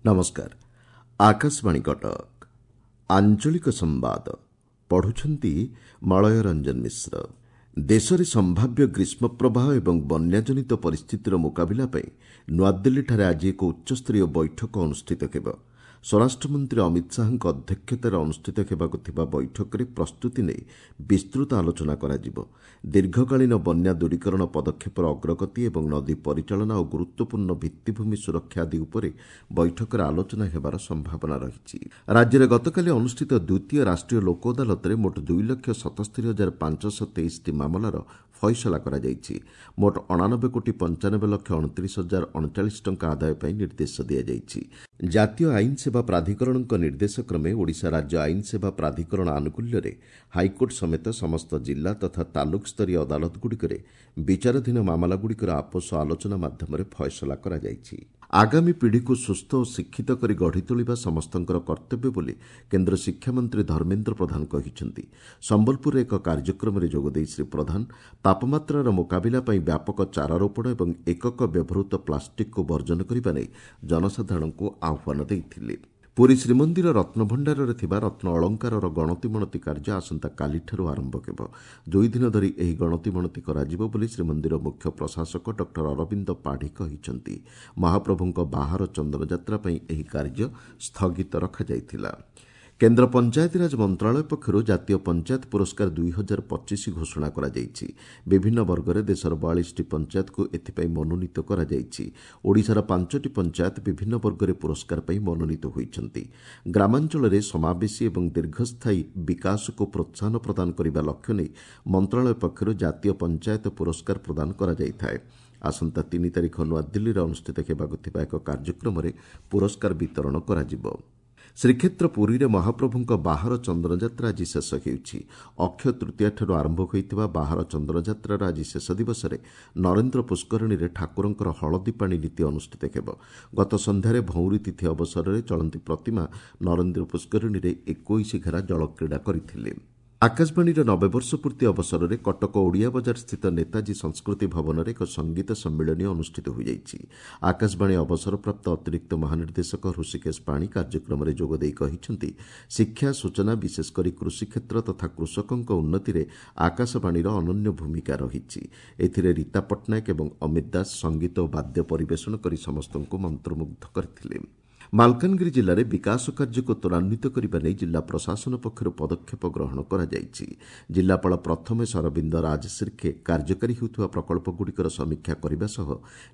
ନମସ୍କାର, ଆକାଶବାଣୀ କଟକ। ଆଞ୍ଚଳିକ ସମ୍ବାଦ ପଢ଼ୁଛନ୍ତି ମଳୟ ରଞ୍ଜନ ମିଶ୍ର। ଦେଶରେ ସମ୍ଭାବ୍ୟ ଗ୍ରୀଷ୍ମ ପ୍ରବାହ ଏବଂ ବନ୍ୟାଜନିତ ପରିସ୍ଥିତିର ମୁକାବିଲା ପାଇଁ ନୂଆଦିଲ୍ଲୀଠାରେ ଆଜି ଏକ ଉଚ୍ଚସ୍ତରୀୟ ବୈଠକ ଅନୁଷ୍ଠିତ ହେବ। ସ୍ୱରାଷ୍ଟ୍ରମନ୍ତ୍ରୀ ଅମିତ ଶାହାଙ୍କ ଅଧ୍ୟକ୍ଷତାରେ ଅନୁଷ୍ଠିତ ହେବାକୁ ଥିବା ବୈଠକରେ ପ୍ରସ୍ତୁତି ନେଇ ବିସ୍ତୃତ ଆଲୋଚନା କରାଯିବ। ଦୀର୍ଘକାଳୀନ ବନ୍ୟା ଦୂରୀକରଣ ପଦକ୍ଷେପର ଅଗ୍ରଗତି ଏବଂ ନଦୀ ପରିଚାଳନା ଓ ଗୁରୁତ୍ୱପୂର୍ଣ୍ଣ ଭିତ୍ତିଭୂମି ସୁରକ୍ଷା ଆଦି ଉପରେ ବୈଠକରେ ଆଲୋଚନା ହେବାର ସମ୍ଭାବନା ରହିଛି। ରାଜ୍ୟରେ ଗତକାଲି ଅନୁଷ୍ଠିତ ଦ୍ୱିତୀୟ ରାଷ୍ଟ୍ରୀୟ ଲୋକ ଅଦାଲତରେ ମୋଟ 2,77,523ଟି ମାମଲାର ଫଇସଲା କରାଯାଇଛି। ମୋଟ 89 କୋଟି 95 ଲକ୍ଷ 29 ହଜାର 39 ଟଙ୍କା ଆଦାୟ ପାଇଁ ନିର୍ଦ୍ଦେଶ ଦିଆଯାଇଛି। ଜାତୀୟ ଆଇନ ସେବା ପ୍ରାଧିକରଣଙ୍କ ନିର୍ଦ୍ଦେଶ କ୍ରମେ ଓଡ଼ିଶା ରାଜ୍ୟ ଆଇନ ସେବା ପ୍ରାଧିକରଣ ଆନୁକୂଲ୍ୟରେ ହାଇକୋର୍ଟ ସମେତ ସମସ୍ତ ଜିଲ୍ଲା ତଥା ତାଲୁକ ସ୍ତରୀୟ ଅଦାଲତଗୁଡ଼ିକରେ ବିଚାରାଧୀନ ମାମଲାଗୁଡ଼ିକର ଆପୋଷ ଆଲୋଚନା ମାଧ୍ୟମରେ ଫଏସଲା କରାଯାଇଛି। ଆଗାମୀ ପିଢ଼ିକୁ ସୁସ୍ଥ ଓ ଶିକ୍ଷିତ କରି ଗଢ଼ି ତୋଳିବା ସମସ୍ତଙ୍କର କର୍ତ୍ତବ୍ୟ ବୋଲି କେନ୍ଦ୍ର ଶିକ୍ଷାମନ୍ତ୍ରୀ ଧର୍ମେନ୍ଦ୍ର ପ୍ରଧାନ କହିଛନ୍ତି। ସମ୍ବଲପୁରରେ ଏକ କାର୍ଯ୍ୟକ୍ରମରେ ଯୋଗଦେଇ ଶ୍ରୀ ପ୍ରଧାନ ତାପମାତ୍ରାର ମୁକାବିଲା ପାଇଁ ବ୍ୟାପକ ଚାରାରୋପଣ ଏବଂ ଏକକ ବ୍ୟବହୃତ ପ୍ଲାଷ୍ଟିକ୍କୁ ବର୍ଜନ କରିବା ନେଇ ଜନସାଧାରଣଙ୍କୁ ଆହ୍ୱାନ ଦେଇଥିଲେ। ପୁରୀ ଶ୍ରୀମନ୍ଦିର ରତ୍ନଭଣ୍ଡାରରେ ଥିବା ରତ୍ନ ଅଳଙ୍କାରର ଗଣତିମଣତି କାର୍ଯ୍ୟ ଆସନ୍ତାକାଲିଠାରୁ ଆରମ୍ଭ ହେବ। 2 ଦିନ ଧରି ଏହି ଗଣତିମଣତି କରାଯିବ ବୋଲି ଶ୍ରୀମନ୍ଦିର ମୁଖ୍ୟ ପ୍ରଶାସକ ଡକ୍ଟର ଅରବିନ୍ଦ ପାଢ଼ୀ କହିଛନ୍ତି। ମହାପ୍ରଭୁଙ୍କ ବାହାର ଚନ୍ଦନଯାତ୍ରା ପାଇଁ ଏହି କାର୍ଯ୍ୟ ସ୍ଥଗିତ ରଖାଯାଇଥିଲା। କେନ୍ଦ୍ର ପଞ୍ଚାୟତିରାଜ ମନ୍ତ୍ରଣାଳୟ ପକ୍ଷରୁ ଜାତୀୟ ପଞ୍ଚାୟତ ପୁରସ୍କାର 2025 ଘୋଷଣା କରାଯାଇଛି। ବିଭିନ୍ନ ବର୍ଗରେ ଦେଶର 42ଟି ପଞ୍ଚାୟତକୁ ଏଥିପାଇଁ ମନୋନୀତ କରାଯାଇଛି। ଓଡ଼ିଶାର ପାଞ୍ଚଟି ପଞ୍ଚାୟତ ବିଭିନ୍ନ ବର୍ଗରେ ପୁରସ୍କାର ପାଇଁ ମନୋନୀତ ହୋଇଛନ୍ତି। ଗ୍ରାମାଞ୍ଚଳରେ ସମାବେଶୀ ଏବଂ ଦୀର୍ଘସ୍ଥାୟୀ ବିକାଶକୁ ପ୍ରୋତ୍ସାହନ ପ୍ରଦାନ କରିବା ଲକ୍ଷ୍ୟ ନେଇ ମନ୍ତ୍ରଣାଳୟ ପକ୍ଷରୁ ଜାତୀୟ ପଞ୍ଚାୟତ ପୁରସ୍କାର ପ୍ରଦାନ କରାଯାଇଥାଏ। ଆସନ୍ତା 3 ତାରିଖ ନୂଆଦିଲ୍ଲୀରେ ଅନୁଷ୍ଠିତ ହେବାକୁ ଥିବା ଏକ କାର୍ଯ୍ୟକ୍ରମରେ ପୁରସ୍କାର ବିତରଣ କରାଯିବ। ଶ୍ରୀକ୍ଷେତ୍ର ପୁରୀରେ ମହାପ୍ରଭୁଙ୍କ ବାହାର ଚନ୍ଦନଯାତ୍ରା ଆଜି ଶେଷ ହେଉଛି। ଅକ୍ଷୟ ତୃତୀୟାଠାରୁ ଆରମ୍ଭ ହୋଇଥିବା ବାହାର ଚନ୍ଦନଯାତ୍ରାର ଆଜି ଶେଷ ଦିବସରେ ନରେନ୍ଦ୍ର ପୁଷ୍କରିଣୀରେ ଠାକୁରଙ୍କର ହଳଦୀ ପାଣି ନୀତି ଅନୁଷ୍ଠିତ ହେବ। ଗତ ସନ୍ଧ୍ୟାରେ ଭଉଁରୀ ତିଥି ଅବସରରେ ଚଳନ୍ତି ପ୍ରତିମା ନରେନ୍ଦ୍ର ପୁଷ୍କରିଣୀରେ 21 ଘେରା ଜଳକ୍ରୀଡ଼ା କରିଥିଲେ। ଆକାଶବାଣୀର 90 ବର୍ଷ ପୂର୍ତ୍ତି ଅବସରରେ କଟକ ଓଡ଼ିଆ ବଜାର ସ୍ଥିତ ନେତାଜୀ ସଂସ୍କୃତି ଭବନରେ ଏକ ସଙ୍ଗୀତ ସମ୍ମିଳନୀ ଅନୁଷ୍ଠିତ ହୋଇଯାଇଛି। ଆକାଶବାଣୀ ଅବସରପ୍ରାପ୍ତ ଅତିରିକ୍ତ ମହାନିର୍ଦ୍ଦେଶକ ହୃଷିକେଶ ପାଣି କାର୍ଯ୍ୟକ୍ରମରେ ଯୋଗଦେଇ କହିଛନ୍ତି, ଶିକ୍ଷା, ସୂଚନା, ବିଶେଷକରି କୃଷିକ୍ଷେତ୍ର ତଥା କୃଷକଙ୍କ ଉନ୍ନତିରେ ଆକାଶବାଣୀର ଅନନ୍ୟ ଭୂମିକା ରହିଛି। ଏଥିରେ ରୀତା ପଟ୍ଟନାୟକ ଏବଂ ଅମିତ ଦାସ ସଙ୍ଗୀତ ଓ ବାଦ୍ୟ ପରିବେଷଣ କରି ସମସ୍ତଙ୍କୁ ମନ୍ତ୍ରମୁଗ୍ଧ କରିଥିଲେ। ମାଲକାନଗିରି ଜିଲ୍ଲାରେ ବିକାଶ କାର୍ଯ୍ୟକୁ ତ୍ୱରାନ୍ୱିତ କରିବା ନେଇ ଜିଲ୍ଲା ପ୍ରଶାସନ ପକ୍ଷରୁ ପଦକ୍ଷେପ ଗ୍ରହଣ କରାଯାଇଛି। ଜିଲ୍ଲାପାଳ ପ୍ରଥମେଶ ଅରବିନ୍ଦ ରାଜଶିର୍କେ କାର୍ଯ୍ୟକାରୀ ହେଉଥିବା ପ୍ରକଳ୍ପଗୁଡ଼ିକର ସମୀକ୍ଷା କରିବା ସହ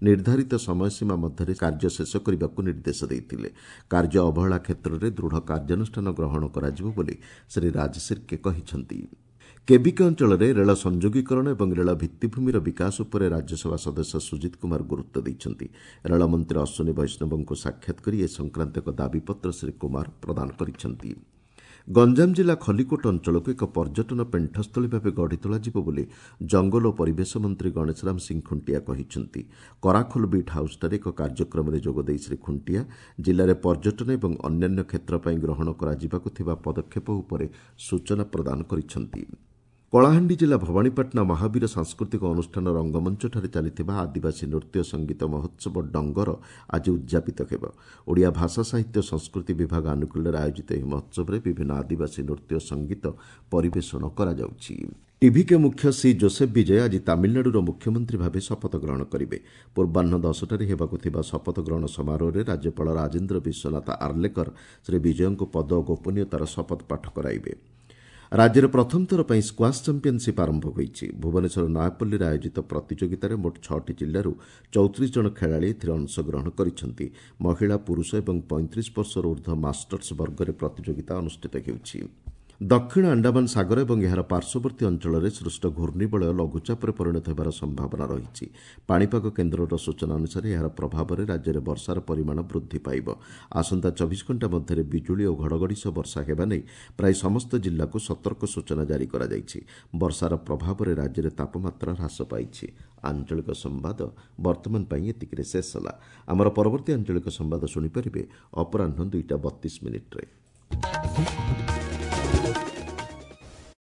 ନିର୍ଦ୍ଧାରିତ ସମୟସୀମା ମଧ୍ୟରେ କାର୍ଯ୍ୟ ଶେଷ କରିବାକୁ ନିର୍ଦ୍ଦେଶ ଦେଇଥିଲେ। କାର୍ଯ୍ୟ ଅବହେଳା କ୍ଷେତ୍ରରେ ଦୃଢ଼ କାର୍ଯ୍ୟାନୁଷ୍ଠାନ ଗ୍ରହଣ କରାଯିବ ବୋଲି ଶ୍ରୀ ରାଜଶିର୍କେ କହିଛନ୍ତି। କେବିକେ ଅଞ୍ଚଳରେ ରେଳ ସଂଯୋଗୀକରଣ ଏବଂ ରେଳ ଭିତ୍ତିଭୂମିର ବିକାଶ ଉପରେ ରାଜ୍ୟସଭା ସଦସ୍ୟ ସୁଜିତ କୁମାର ଗୁରୁତ୍ୱ ଦେଇଛନ୍ତି। ରେଳମନ୍ତ୍ରୀ ଅଶ୍ୱିନୀ ବୈଷ୍ଣବଙ୍କୁ ସାକ୍ଷାତ କରି ଏ ସଂକ୍ରାନ୍ତ ଏକ ଦାବିପତ୍ର ଶ୍ରୀ କୁମାର ପ୍ରଦାନ କରିଛନ୍ତି। ଗଞ୍ଜାମ ଜିଲ୍ଲା ଖଲିକୋଟ ଅଞ୍ଚଳକୁ ଏକ ପର୍ଯ୍ୟଟନ ପେଣ୍ଠସ୍ଥଳୀ ଭାବେ ଗଢ଼ି ତୋଳାଯିବ ବୋଲି ଜଙ୍ଗଲ ଓ ପରିବେଶ ମନ୍ତ୍ରୀ ଗଣେଶରାମ ସିଂ ଖୁଣ୍ଟିଆ କହିଛନ୍ତି। କରାଖୋଲ ବିଟ୍ ହାଉସ୍ଠାରେ ଏକ କାର୍ଯ୍ୟକ୍ରମରେ ଯୋଗଦେଇ ଶ୍ରୀ ଖୁଣ୍ଟିଆ ଜିଲ୍ଲାରେ ପର୍ଯ୍ୟଟନ ଏବଂ ଅନ୍ୟାନ୍ୟ କ୍ଷେତ୍ର ପାଇଁ ଗ୍ରହଣ କରାଯିବାକୁ ଥିବା ପଦକ୍ଷେପ ଉପରେ ସୂଚନା ପ୍ରଦାନ କରିଛନ୍ତି। କଳାହାଣ୍ଡି ଜିଲ୍ଲା ଭବାନୀପାଟଣା ମହାବୀର ସାଂସ୍କୃତିକ ଅନୁଷ୍ଠାନ ରଙ୍ଗମଞ୍ଚଠାରେ ଚାଲିଥିବା ଆଦିବାସୀ ନୃତ୍ୟ ସଙ୍ଗୀତ ମହୋତ୍ସବ ଡଙ୍ଗର ଆଜି ଉଦ୍ଯାପିତ ହେବ। ଓଡ଼ିଆ ଭାଷା, ସାହିତ୍ୟ, ସଂସ୍କୃତି ବିଭାଗ ଆନୁକୂଲ୍ୟରେ ଆୟୋଜିତ ଏହି ମହୋତ୍ସବରେ ବିଭିନ୍ନ ଆଦିବାସୀ ନୃତ୍ୟ ସଙ୍ଗୀତ ପରିବେଷଣ କରାଯାଉଛି। ଟିଭିକେ ମୁଖ୍ୟ ସି ଜୋସେଫ ବିଜୟ ଆଜି ତାମିଲନାଡୁର ମୁଖ୍ୟମନ୍ତ୍ରୀ ଭାବେ ଶପଥ ଗ୍ରହଣ କରିବେ। ପୂର୍ବାହ୍ନ 10ଟାରେ ହେବାକୁ ଥିବା ଶପଥ ଗ୍ରହଣ ସମାରୋହରେ ରାଜ୍ୟପାଳ ରାଜେନ୍ଦ୍ର ବିଶ୍ୱନାଥ ଆର୍ଲେକର ଶ୍ରୀ ବିଜୟଙ୍କୁ ପଦ ଓ ଗୋପନୀୟତାର ଶପଥ ପାଠ କରାଇବେ। ରାଜ୍ୟରେ ପ୍ରଥମ ଥର ପାଇଁ ସ୍କ୍ୱାସ୍ ଚାମ୍ପିୟନସିପ୍ ଆରମ୍ଭ ହୋଇଛି। ଭୁବନେଶ୍ୱର ନୟାପଲ୍ଲୀରେ ଆୟୋଜିତ ପ୍ରତିଯୋଗିତାରେ ମୋଟ ଛଅଟି ଜିଲ୍ଲାରୁ 34 ଜଣ ଖେଳାଳି ଏଥିରେ ଅଂଶଗ୍ରହଣ କରିଛନ୍ତି। ମହିଳା, ପୁରୁଷ ଏବଂ 35 ବର୍ଷରୁ ଉର୍ଦ୍ଧ୍ୱ ମାଷ୍ଟର୍ସ ବର୍ଗରେ ପ୍ରତିଯୋଗିତା ଅନୁଷ୍ଠିତ ହେଉଛି। ଦକ୍ଷିଣ ଆଣ୍ଡାମାନ ସାଗର ଏବଂ ଏହାର ପାର୍ଶ୍ୱବର୍ତ୍ତୀ ଅଞ୍ଚଳରେ ସୃଷ୍ଟ ଘୂର୍ଣ୍ଣିବଳୟ ଲଘୁଚାପରେ ପରିଣତ ହେବାର ସମ୍ଭାବନା ରହିଛି। ପାଣିପାଗ କେନ୍ଦ୍ରର ସୂଚନା ଅନୁସାରେ ଏହାର ପ୍ରଭାବରେ ରାଜ୍ୟରେ ବର୍ଷାର ପରିମାଣ ବୃଦ୍ଧି ପାଇବ। ଆସନ୍ତା 24 ଘଣ୍ଟା ମଧ୍ୟରେ ବିଜୁଳି ଓ ଘଡ଼ଘଡ଼ି ସହ ବର୍ଷା ହେବା ନେଇ ପ୍ରାୟ ସମସ୍ତ ଜିଲ୍ଲାକୁ ସତର୍କ ସୂଚନା ଜାରି କରାଯାଇଛି। ବର୍ଷାର ପ୍ରଭାବରେ ରାଜ୍ୟରେ ତାପମାତ୍ରା ହ୍ରାସ ପାଇଛି। ଆଞ୍ଚଳିକ ସମ୍ବାଦ ବର୍ତ୍ତମାନ ପାଇଁ ଏତିକିରେ ଶେଷ ହେଲା। ଆମର ପରବର୍ତ୍ତୀ ଆଞ୍ଚଳିକ ସମ୍ବାଦ ଶୁଣିପାରିବେ ଅପରାହ୍ନ 2ଟା 32 ମିନିଟ୍ରେ।